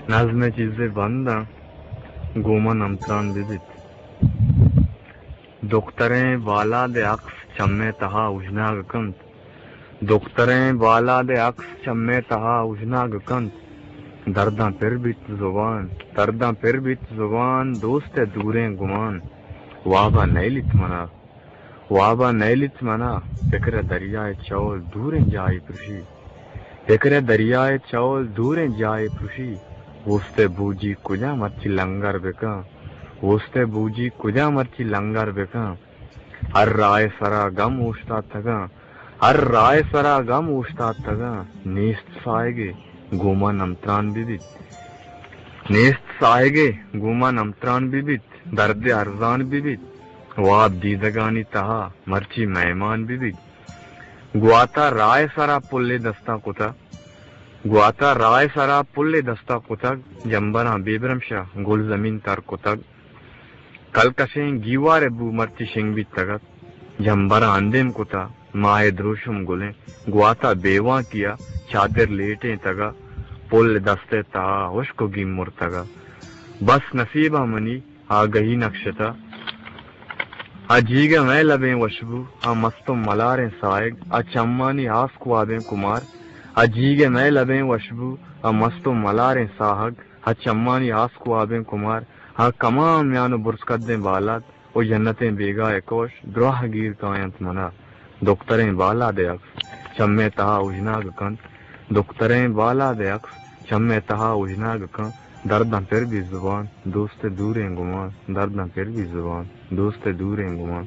نظم ءِ چیزے بنداں، گوں من ہمتران بہ بیت۔ دختریں بالاد ءِ عکس چمے تہا اوژناگ کنت۔ دختریں بالاد ءِ عکس چمے تہا اوژناگ کنت۔ درداں پر بیت زبان، درداں پر بیت زبان، دوست ءِ دوریں گمان۔ وابا نئیلیت منا، وابا نئیلیت منا، پکر ءِ دریا ءِ چول دوریں جاہے پرشی۔ پکر ءِ دریا ءِ چول دوریں جاہے پرشی۔ اوست ءِ بوجی کجا مرچی لنگر بکن۔ اوست ءِ بوجی کجا مرچی لنگر بکن۔ ہر راہ ءِ سرا گم اوشتاتگاں، ہر راہ ءِ سرا گم اوشتاتگاں۔ نیست ساہگے گوں من ہمتران بہ بیت۔ نیست ساہگے گوں من ہمتران بہ بیت۔ درد ارزان بہ بیت۔ واب دیدگانی تہا مرچی مہمان بہ بیت۔ گواتا راہ ءِ سرا پلے دستاں کتگ۔ گواتا راہ ءِ سرا پلے دستاں کتگ۔ جمبراں بے برمشا گل زمین تر کتگ۔ کلکشیں گیوار ءِ بو مرچی شنگ بیتگ ات۔ جمبراں اندیم کتا، ماہ ءِ دروشم گلیں۔ گواتا بے وانکیا چادر لیٹینتگا۔ پل دست ءِ تہا ہشک ءُ گیم مرتگا۔ بس نصیبا منی آگہی نکشتہ۔ آ جیگ ءِ مئے لبیں وشبو، آ مست ءُ ملاریں ساہگ، آ چمانی آس کوابیں کمار۔ آ جیگ ءِ مئے لبیں وشبو، آ مست ءُ ملاریں ساہگ، آ چمانی آس کوابیں کمار۔ آ کماں میان ءُ برز کدیں بالاد ءُ جنتیں بیگاہ ءِ کوش دراہ گیر کاینت منا۔ دختریں بالاد ءِ عکس چمے تہا اوژناگ کنت۔ دختریں بالاد ءِ عکس چمے تہا اوژناگ کنت۔ درداں پر بیت زبان، دوست ءِ دوریں گمان۔ درداں پر بیت زبان، دوست ءِ دوریں گمان۔